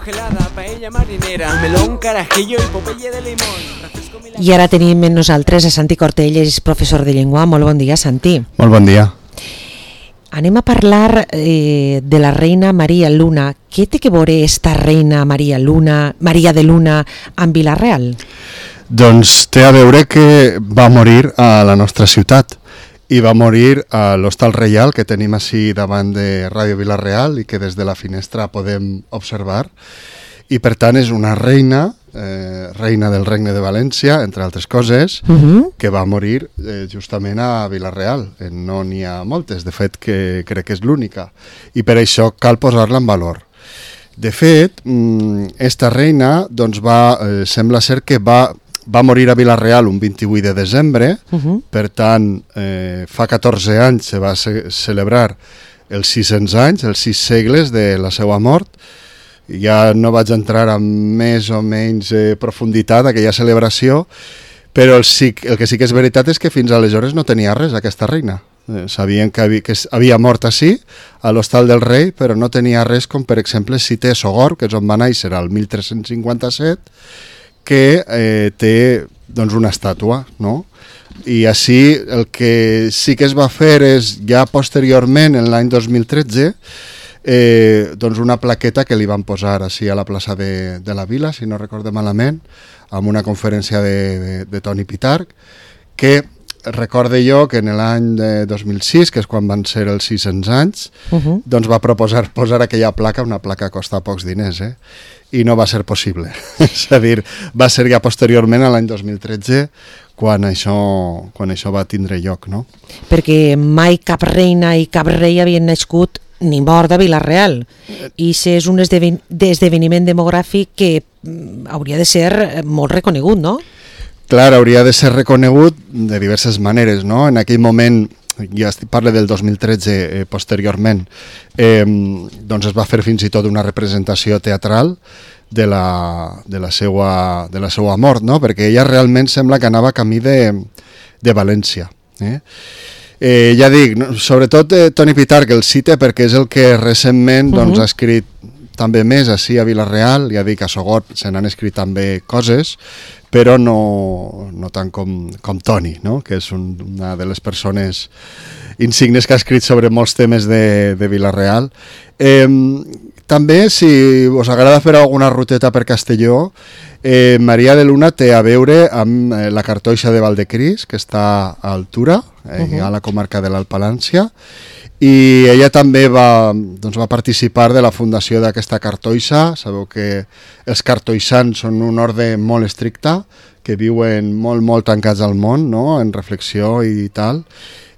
Gelada, paella marinera, melón, carajillo i popeye de limón. I ara tenim amb nosaltres a Santi Cortelles, professor de llengua. Molt bon dia, Santi. Molt bon dia. Anem a parlar de la reina Maria Luna. Què té que veure esta reina Maria de Luna amb Vila-real? Doncs té a veure que va morir a la nostra ciutat i va morir a l'Hostal Reial que tenim així davant de Ràdio Vila-real i que des de la finestra podem observar. I per tant és una reina, reina del Regne de València, entre altres coses, que va morir justament a Vila-real. No n'hi ha moltes, de fet que crec que és l'única. I per això cal posar-la en valor. De fet, esta reina doncs sembla ser que va morir a Vila-real un 28 de desembre, per tant, fa 14 anys se va celebrar els 600 anys, els 6 segles de la seva mort. Ja no vaig entrar amb més o menys profunditat aquella celebració, però el que sí que és veritat és que fins aleshores no tenia res aquesta reina. Sabien que havia mort així, a l'Hostal del Rei, però no tenia res com, per exemple, si té Sogorb, que és on va néixer el 1357, que té doncs, una estàtua, no? I així el que sí que es va fer és, ja posteriorment, en l'any 2013, doncs una plaqueta que li van posar així a la plaça de la Vila, si no recorde malament, amb una conferència de Toni Pitarch, que recorde jo que en l'any 2006, que és quan van ser els 600 anys, doncs va proposar posar aquella placa, una placa que costa pocs diners, i no va ser possible. És a dir, va ser ja posteriorment, a l'any 2013, quan això va tindre lloc, no? Perquè mai cap reina i cap rei havien nascut ni mort a Vila-real. I és un esdeveniment demogràfic que hauria de ser molt reconegut, no? Clar, hauria de ser reconegut de diverses maneres, no? En aquell moment, ja parlo del 2013 posteriorment, doncs es va fer fins i tot una representació teatral de la seva mort, no? Perquè ella realment sembla que anava camí de València. Ja dic, sobretot Toni Pitarch el cita perquè és el que recentment ha escrit també més així a Vila-real. Ja dic, a Sogorb se n'han escrit també coses, però no tant com Toni, no? Que és una de les persones insignes que ha escrit sobre molts temes de Vila-real. També, si us agrada fer alguna ruteta per Castelló, Maria de Luna té a veure amb la cartoixa de Valdecris, que està a Altura, a la comarca de l'Alt Palància, i ella també va participar de la fundació d'aquesta cartoixa. Sabeu que els cartoixans són un ordre molt estricte, que viuen molt, molt tancats al món, no? En reflexió i tal,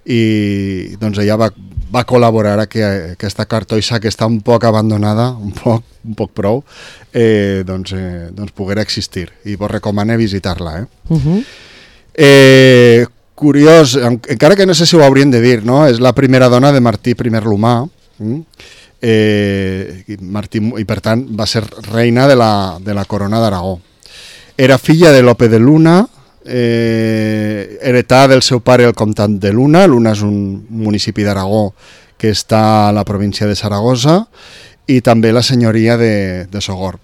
i doncs ella va col·laborar a que aquesta cartoixa, que està un poc abandonada, un poc prou, doncs poguera existir, i vos recomano visitar-la. Curiós, encara que no sé si ho haurien de dir, no? És la primera dona de Martí I l'Humà, i per tant va ser reina de la corona d'Aragó. Era filla de Lope de Luna, heretà del seu pare el comtat de Luna. Luna és un municipi d'Aragó que està a la província de Saragossa, i també la senyoria de Sogorb.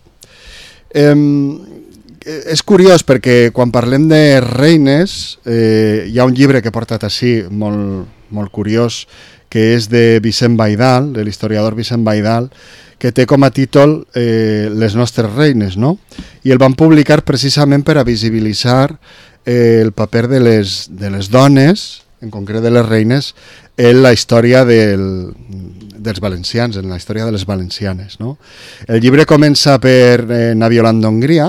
És curiós perquè quan parlem de reines hi ha un llibre que he portat així molt curiós, que és de Vicent Baidal, de l'historiador Vicent Baidal, que té com a títol Les nostres reines, no? I el van publicar precisament per a visibilitzar el paper de les dones, en concret de les reines, en la història dels valencians, en la història de les valencianes, no? El llibre comença per Naviolant d'Hongria,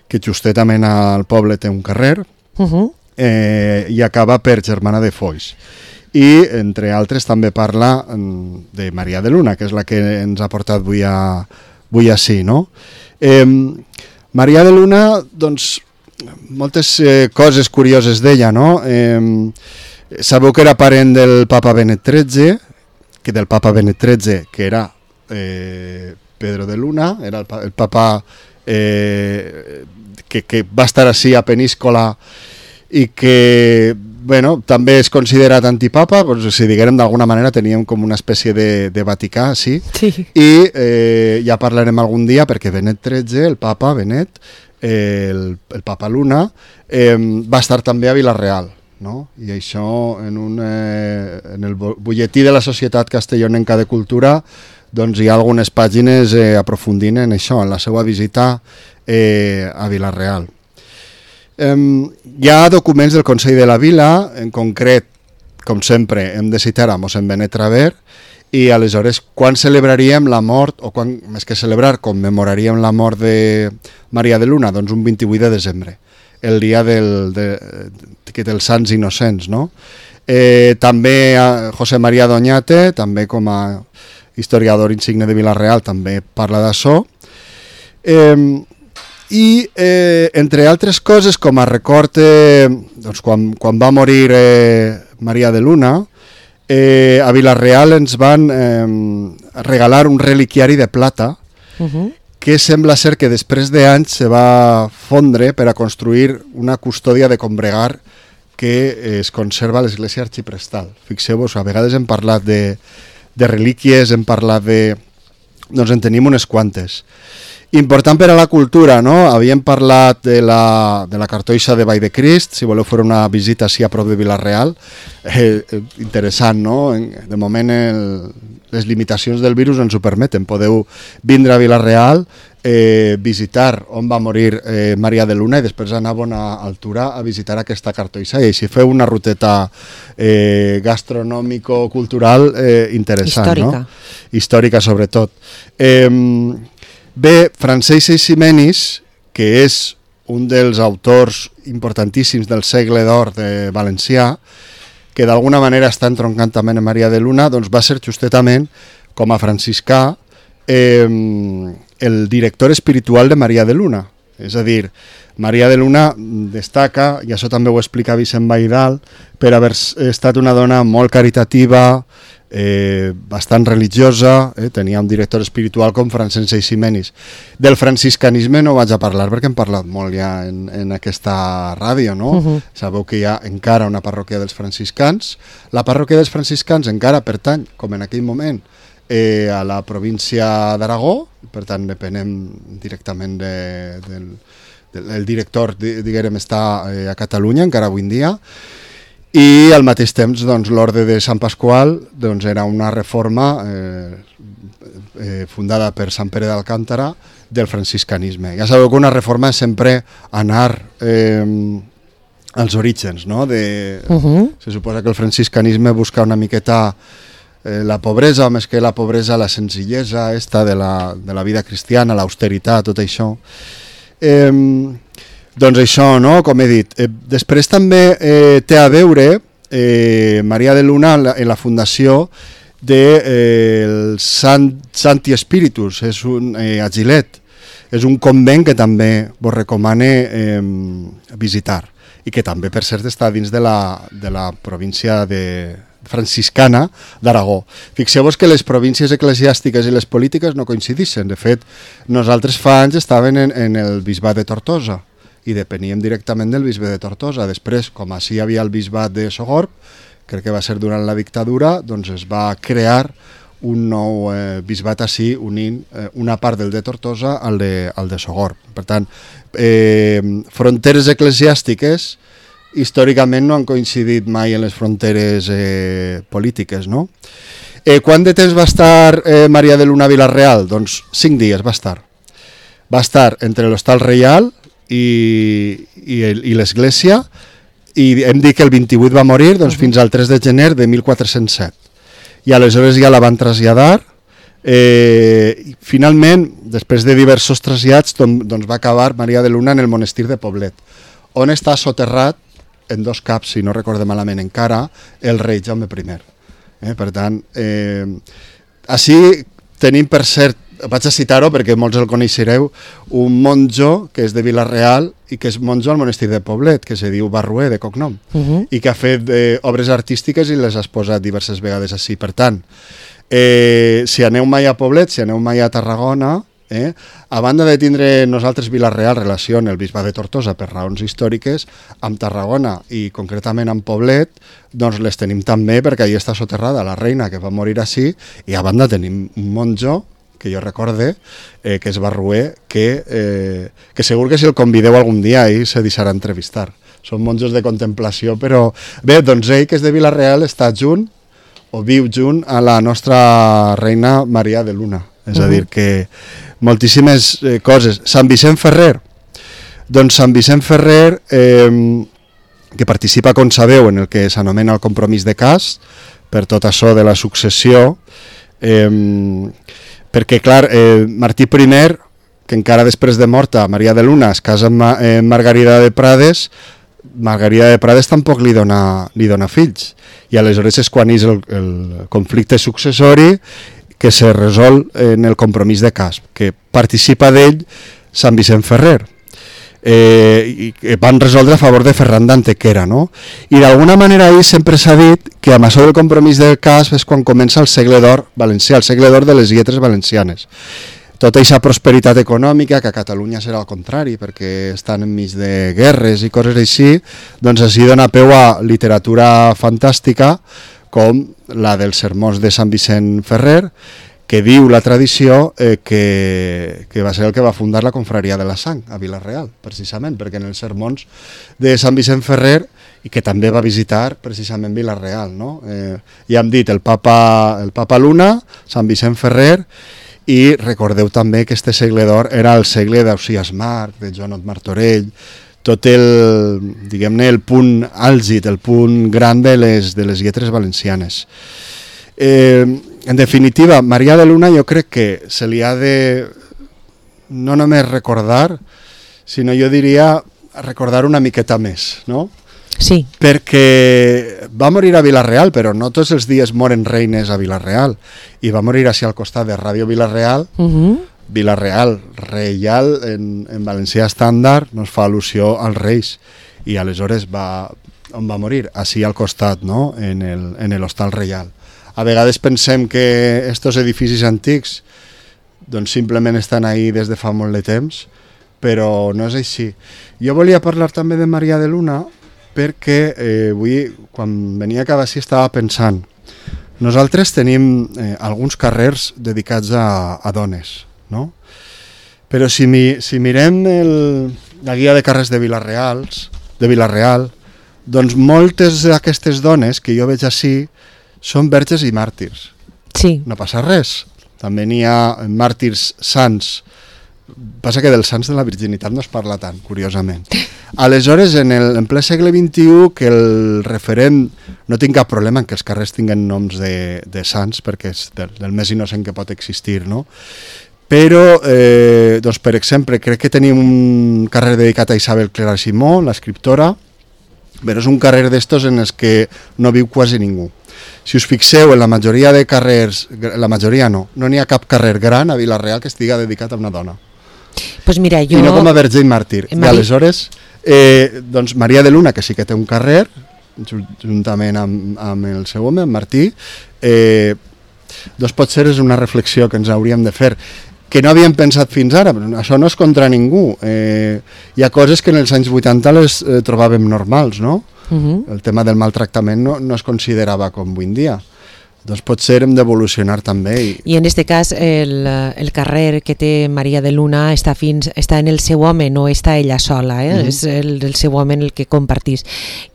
que justament al poble té un carrer, i acaba per Germana de Foix. I, entre altres, també parla de Maria de Luna, que és la que ens ha portat avui així, no? Maria de Luna, doncs, moltes coses curioses d'ella, no? Sabeu que era parent del papa Benet XIII, que era Pedro de Luna, era el papa que va estar així a Peníscola i que bueno, també és considerat antipapa, doncs, si diguem d'alguna manera teníem com una espècie de Vaticà, sí. I ja parlarem algun dia perquè Benet XIII, el papa Benet, el papa Luna, va estar també a Vila-real, no? I això en el butlletí de la Societat Castellonenca de Cultura doncs hi ha algunes pàgines aprofundint en això, en la seva visita a Vila-real. Hi ha documents del Consell de la Vila, en concret, com sempre, hem de citar a mossèn Benet Traver, i aleshores quan celebraríem la mort, o quan, més que celebrar, commemoraríem la mort de Maria de Luna? Doncs un 28 de desembre, el dia dels Sants Innocents, no? També José María Doñate, també com a historiador insigne de Vila-real, també parla d'això. I, entre altres coses, com a record, doncs, quan va morir Maria de Luna, a Vila-real ens van regalar un reliquiari de plata que sembla ser que després d'anys se va fondre per a construir una custòdia de combregar que es conserva a l'església arxiprestal. Fixeu-vos, a vegades hem parlat de relíquies, hem parlat de... doncs en tenim unes quantes. Important per a la cultura, no? Havíem parlat de la cartoixa de Vall de Crist, si voleu fer una visita així a prop de Vila-real, interessant, no? De moment les limitacions del virus ens ho permeten, podeu vindre a Vila-real, visitar on va morir Maria de Luna i després anar a bona altura a visitar aquesta cartoixa i així feu una ruteta gastronòmico-cultural interessant, històrica. No? Històrica sobretot. Bé, Francesc Eiximenis, que és un dels autors importantíssims del segle d'or de valencià, que d'alguna manera està entroncant també en Maria de Luna, doncs va ser justetament, com a franciscà, el director espiritual de Maria de Luna. És a dir, Maria de Luna destaca, i això també ho explica Vicent Baidal, per haver estat una dona molt caritativa, bastant religiosa, tenia un director espiritual com Francesc Eiximenis. Del franciscanisme no vaig a parlar perquè hem parlat molt ja en aquesta ràdio, no? Sabeu que hi ha encara una parròquia dels franciscans. La parròquia dels franciscans encara pertany, com en aquell moment, a la província d'Aragó, per tant depenem directament el director, diguem, està a Catalunya encara avui en dia. I al mateix temps doncs, l'Orde de Sant Pasqual doncs, era una reforma fundada per Sant Pere d'Alcántara del franciscanisme. Ja sabeu que una reforma és sempre anar als orígens, no? Se suposa que el franciscanisme busca una miqueta la pobresa, o més que la pobresa, la senzillesa esta de la vida cristiana, l'austeritat, tot això. Doncs això, no? Com he dit. Després també té a veure Maria de Luna en la fundació del Santi Espíritus, és a Gilet. És un convent que també vos recomane visitar i que també, per cert, està dins de la província franciscana d'Aragó. Fixeu-vos que les províncies eclesiàstiques i les polítiques no coincideixen. De fet, nosaltres fa anys estàvem en el bisbat de Tortosa i depeníem directament del bisbe de Tortosa. Després, com així hi havia el bisbat de Sogorb, crec que va ser durant la dictadura, doncs es va crear un nou bisbat així, unint una part del de Tortosa al de Sogorb. Per tant, fronteres eclesiàstiques històricament no han coincidit mai en les fronteres polítiques, no? Quant de temps va estar Maria de Luna a Vila-real? Doncs 5 dies va estar. Va estar entre l'Hostal Reial i l'església, i hem dit que el 28 va morir doncs, fins al 3 de gener de 1407. I aleshores ja la van traslladar. Finalment, després de diversos trasllats, doncs va acabar Maria de Luna en el monestir de Poblet, on està soterrat en 2 caps, si no recorde malament encara, el rei Jaume I. Per tant, així tenim, per cert, vaig a citar-ho perquè molts el coneixereu, un monjo que és de Vila-real i que és monjo al monestir de Poblet, que se diu Barrué, de cognom, i que ha fet obres artístiques i les ha exposat diverses vegades així. Per tant, si aneu mai a Poblet, si aneu mai a Tarragona, A banda de tindre nosaltres Vila-real relació en el bisbat de Tortosa per raons històriques, amb Tarragona i concretament amb Poblet, doncs les tenim també perquè allà està soterrada la reina que va morir així, i a banda tenim un monjo que jo recorde, que és Barruer, que segur que si el convideu algun dia ell se deixarà entrevistar. Són monjos de contemplació, però bé, doncs ell, que és de Vila-real, està junt o viu junt a la nostra reina Maria de Luna. És a dir, que moltíssimes coses. Sant Vicent Ferrer. Doncs Sant Vicent Ferrer, que participa, com sabeu, en el que s'anomena el compromís de cas, per tot això de la successió, perquè, clar, Martí I, que encara després de morta Maria de Luna es casa amb Margarida de Prades, Margarida de Prades tampoc li dona fills, i aleshores és quan és el conflicte successori que se resol en el compromís de cas, que participa d'ell Sant Vicent Ferrer, i que van resoldre a favor de Ferran d'Antequera, no? I d'alguna manera ahir sempre s'ha dit que amb això del compromís del cas és quan comença el segle d'or valencià, el segle d'or de les lletres valencianes. Tota aquesta prosperitat econòmica, que a Catalunya serà al contrari, perquè estan enmig de guerres i coses així, doncs així dona peu a literatura fantàstica com la dels sermons de Sant Vicent Ferrer, que diu la tradició que va ser el que va fundar la confraria de la Sang a Vila-real, precisament, perquè en els sermons de Sant Vicent Ferrer, i que també va visitar precisament Vila-real, no? Ja hem dit el Papa Luna, Sant Vicent Ferrer, i recordeu també que este segle d'or era el segle d'Ausiàs Marc, de Joanot Martorell, tot el, diguem-ne, el punt àlgid, el punt gran de les lletres valencianes. En definitiva, Maria de Luna jo crec que se li ha de no només recordar, sinó jo diria recordar una miqueta més, no? Sí. Perquè va morir a Vila-real, però no tots els dies moren reines a Vila-real, i va morir així al costat de Ràdio Vila-real. Vila-real, reial, en valencià estàndard, nos fa al·lusió als reis, i aleshores on va morir? Així al costat, no? En l'Hostal Reial. A vegades pensem que estos edificis antics doncs simplement estan ahí des de fa molt de temps, però no és així. Jo volia parlar també de Maria de Luna perquè avui, quan venia cap així, estava pensant. Nosaltres tenim alguns carrers dedicats a dones, no? Però si mirem la guia de carrers de Vila-real, doncs moltes d'aquestes dones que jo veig així són verges i màrtirs. Sí. No passa res. També n'hi ha màrtirs sants. Passa que dels sants de la virginitat no es parla tant, curiosament. Aleshores, en ple segle XXI, que el referent... No tinc cap problema en que els carrers tinguen noms de sants, perquè és del més innocent que pot existir, no? Però, doncs, per exemple, crec que tenim un carrer dedicat a Isabel Clara Simó, l'escriptora, però és un carrer d'estos en els que no viu quasi ningú. Si us fixeu, en la majoria de carrers, la majoria no n'hi ha cap carrer gran a Vila-real que estigui dedicat a una dona. Pues mira, jo... I no com a verge i màrtir. I aleshores, doncs Maria de Luna, que sí que té un carrer, juntament amb el seu home, amb Martí, doncs potser és una reflexió que ens hauríem de fer, que no havíem pensat fins ara, però això no és contra ningú. Hi ha coses que en els anys 80 les trobàvem normals, no? El tema del maltractament no es considerava com avui en dia. Doncs potser hem d'evolucionar també. I en aquest cas el carrer que té Maria de Luna està en el seu home, no està ella sola, és el seu home el que compartís.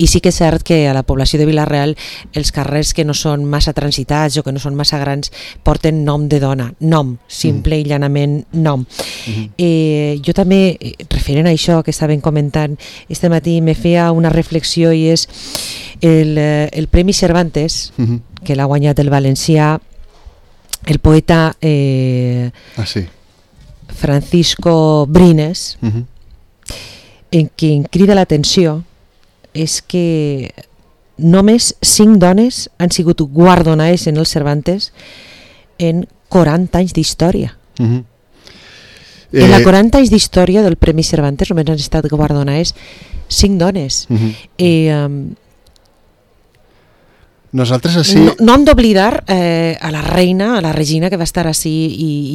I sí que és cert que a la població de Vila-real els carrers que no són massa transitats o que no són massa grans porten nom de dona, nom, simple i llanament nom. Jo també, referent a això que estàvem comentant este matí, me feia una reflexió, i és el Premi Cervantes, que l'ha guanyat el valencià, el poeta Francisco Brines, en què em crida l'atenció és que només 5 dones han sigut guardonades en el Cervantes en 40 anys d'història. En la 40 anys d'història del Premi Cervantes només han estat guardonades 5 dones. Nosaltres així... No hem d'oblidar a la reina, a la Regina, que va estar així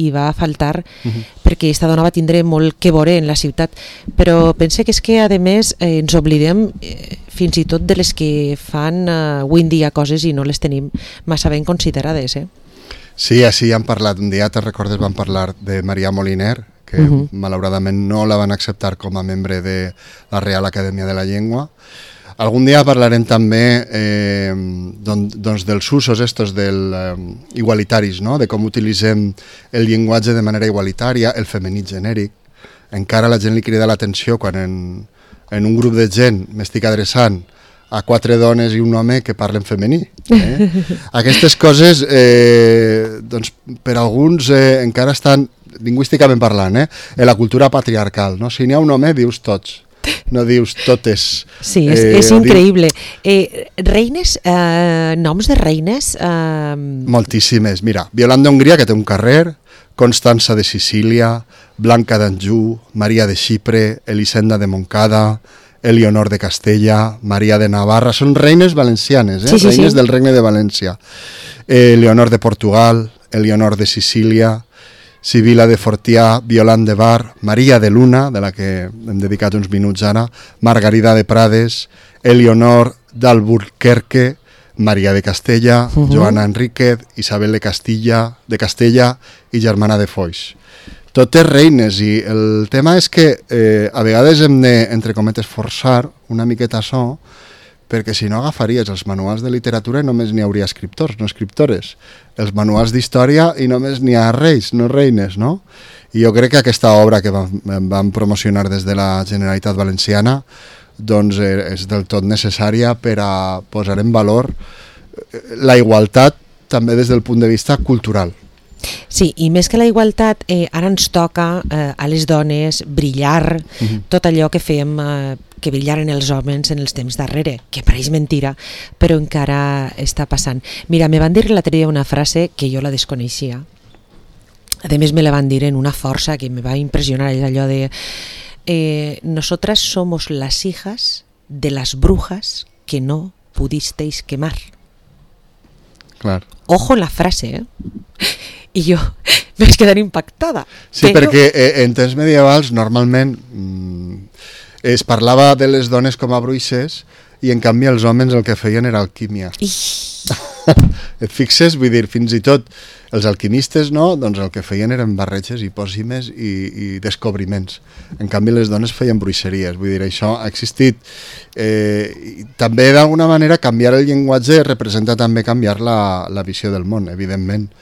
i va faltar, perquè esta dona va tindre molt que veure en la ciutat, però pense que és que, a més, ens oblidem fins i tot de les que fan avui en dia coses i no les tenim massa ben considerades. Sí, així ja hem parlat, un dia, te'n recordes, vam parlar de Maria Moliner, que malauradament no la van acceptar com a membre de la Real Acadèmia de la Llengua. Algun dia parlarem també doncs dels usos estos igualitaris, no? De com utilitzem el llenguatge de manera igualitària, el femení genèric. Encara la gent li crida l'atenció quan en un grup de gent m'estic adreçant a 4 dones i un home que parlen femení. Aquestes coses, doncs, per alguns encara estan, lingüísticament parlant, en la cultura patriarcal. No? Si n'hi ha un home, dius tots. No dius totes. Sí, és increïble. Reines, noms de reines... Moltíssimes. Mira, Violanda d'Hongria, que té un carrer, Constança de Sicília, Blanca d'Anjou, Maria de Xipre, Elisenda de Montcada, Elionor de Castella, Maria de Navarra... Són reines valencianes, reines del Regne de València. Leonor de Portugal, Elionor de Sicília, Sibila de Fortià, Violant de Bar, Maria de Luna, de la que hem dedicat uns minuts ara, Margarida de Prades, Elionor d'Alburquerque, Maria de Castella, Joana Enríquez, Isabel de Castella i germana de Foix. Totes reines, i el tema és que a vegades hem de, entre cometes, forçar una miqueta açò, perquè si no agafaries els manuals de literatura i només n'hi hauria escriptors, no escriptores. Els manuals d'història i només n'hi ha reis, no reines, no? I jo crec que aquesta obra que vam promocionar des de la Generalitat Valenciana doncs és del tot necessària per a posar en valor la igualtat també des del punt de vista cultural. Sí, i més que la igualtat, ara ens toca a les dones brillar tot allò que fem que brillaren els homes en els temps darrere, que pareix mentira, però encara està passant. Mira, me van dir l'altre dia una frase que jo la desconeixia. A més, me la van dir en una força que me va impressionar, és allò de nosotras somos las hijas de las brujas que no pudisteis quemar. Clar. Ojo en la frase, I jo vaig quedar impactada. Sí, perquè en temps medievals normalment es parlava de les dones com a bruixes i en canvi els homes el que feien era alquímia. Et fixes? Vull dir, fins i tot els alquimistes, no? Doncs el que feien eren barreges i pòssimes i descobriments. En canvi les dones feien bruixeries. Vull dir, això ha existit. També d'alguna manera canviar el llenguatge representa també canviar la visió del món, evidentment.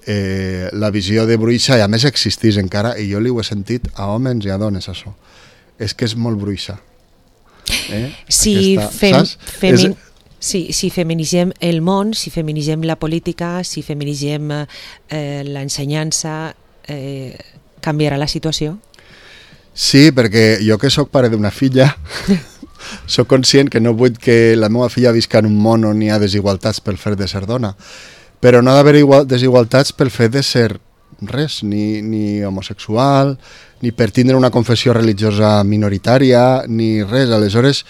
La visió de bruixa, i a més existís encara, i jo li ho he sentit a homes i a dones, això. És que és molt bruixa. Si feminitzem el món, si feminitzem la política, si feminitzem l'ensenyança, canviarà la situació? Sí, perquè jo que sóc pare d'una filla sóc conscient que no vull que la meva filla visca en un món on hi ha desigualtats pel fet de ser dona, però no ha d'haver desigualtats pel fet de ser res, ni homosexual, ni per tindre una confessió religiosa minoritària, ni res. Aleshores,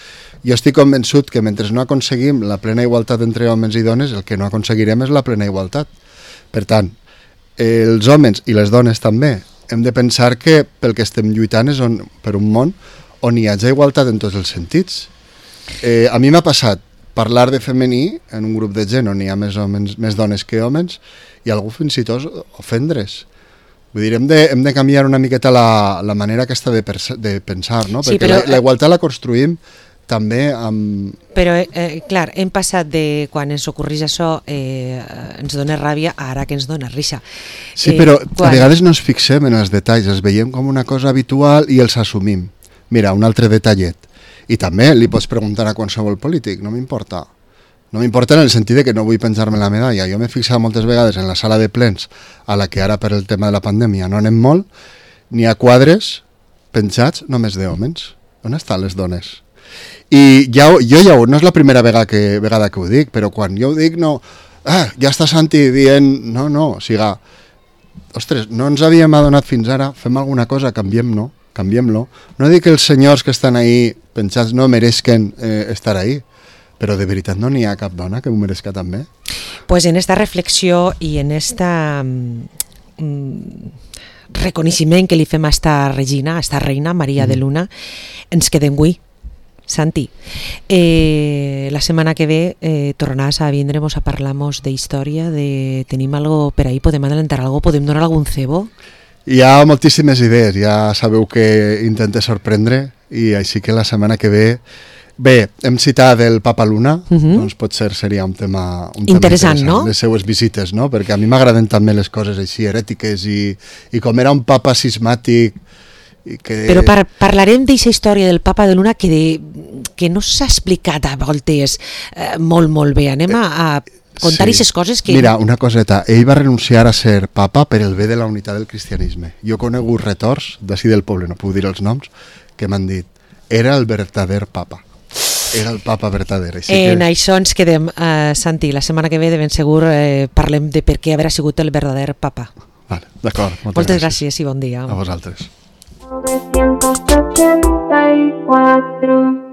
jo estic convençut que mentre no aconseguim la plena igualtat entre homes i dones, el que no aconseguirem és la plena igualtat. Per tant, els homes i les dones també hem de pensar que pel que estem lluitant és per un món on hi hagi igualtat en tots els sentits. A mi m'ha passat parlar de femení en un grup de gent on hi ha més dones que homes i algú fins i tot ofendre's. Vull dir, hem de canviar una miqueta la manera aquesta de pensar, no? Sí, perquè però la igualtat la construïm també amb... Però, clar, hem passat de quan ens ocorreix això ens dona ràbia a ara que ens dona risa. Sí, però a vegades no ens fixem en els detalls, els veiem com una cosa habitual i els assumim. Mira, un altre detallet. I també li pots preguntar a qualsevol polític, no m'importa. No m'importa en el sentit de que no vull penjar-me la medalla. Jo m'he fixat moltes vegades en la sala de plens, a la que ara per el tema de la pandèmia no anem molt, n'hi ha quadres penjats només d'homes. On estan les dones? I no és la primera vegada que ho dic, però quan jo ho dic no... ja està Santi dient... No, o sigui... Ostres, no ens havíem adonat fins ara, fem alguna cosa, canviem-lo. No dic que els senyors que estan ahí penjats no mereixen estar ahí. però de veritat no n'hi ha cap dona que m'ho mereixca també? Pues en esta reflexió i en esta reconeixement que li fem a esta regina, a esta reina, Maria de Luna, ens quedem avui. Santi, la setmana que ve tornaràs a vindre'ns a parlar-nos d'història, tenim algo per ahí, podem adelantar algo, podem donar algun cebo? Hi ha moltíssimes idees, ja sabeu que intente sorprendre i així que la setmana que ve hem citat el Papa Luna, doncs potser seria un tema interessant, no? Les seues visites, no? Perquè a mi m'agraden també les coses així herètiques i com era un papa cismàtic. Però parlarem d'aquesta història del Papa de Luna que no s'ha explicat a voltes molt bé. Anem a contar aquestes coses que... Mira, una coseta, ell va renunciar a ser papa per el bé de la unitat del cristianisme. Jo he conegut retors d'ací del poble, no puc dir els noms, que m'han dit, era el verdader papa. Era el papa verdader. En això ens quedem, Santi, la setmana que ve de ben segur parlem de per què haurà sigut el verdader papa. Vale, d'acord, moltes gràcies i bon dia. A vosaltres. 984